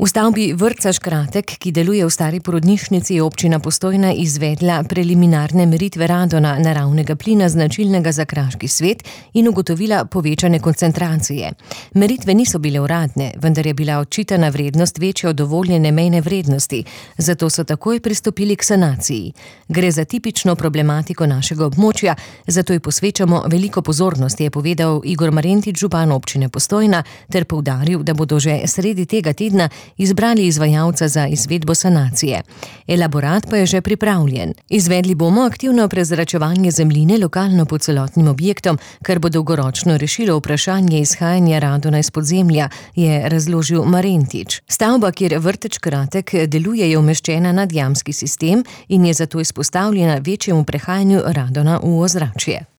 V stavbi vrtca Škratek, ki deluje v stari porodnišnici, je občina Postojna izvedla preliminarne meritve radona, naravnega plina značilnega za kraški svet, in ugotovila povečane koncentracije. Meritve niso bile uradne, vendar je bila odčitana vrednost večja od dovoljene mejne vrednosti, zato so takoj pristopili k sanaciji. Gre za tipično problematiko našega območja, zato ji posvečamo veliko pozornosti, je povedal Igor Marentič, župan občine Postojna, ter poudaril, da bodo že sredi tega tedna izbrali izvajalca za izvedbo sanacije. Elaborat pa je že pripravljen. Izvedli bomo aktivno prezračevanje zemljine lokalno pod celotnim objektom, kar bo dolgoročno rešilo vprašanje izhajanja radona iz podzemlja, je razložil Marentič. Stavba, kjer vrtec Škratek deluje, je umeščena nad jamski sistem in je zato izpostavljena večjemu prehajanju radona v ozračje.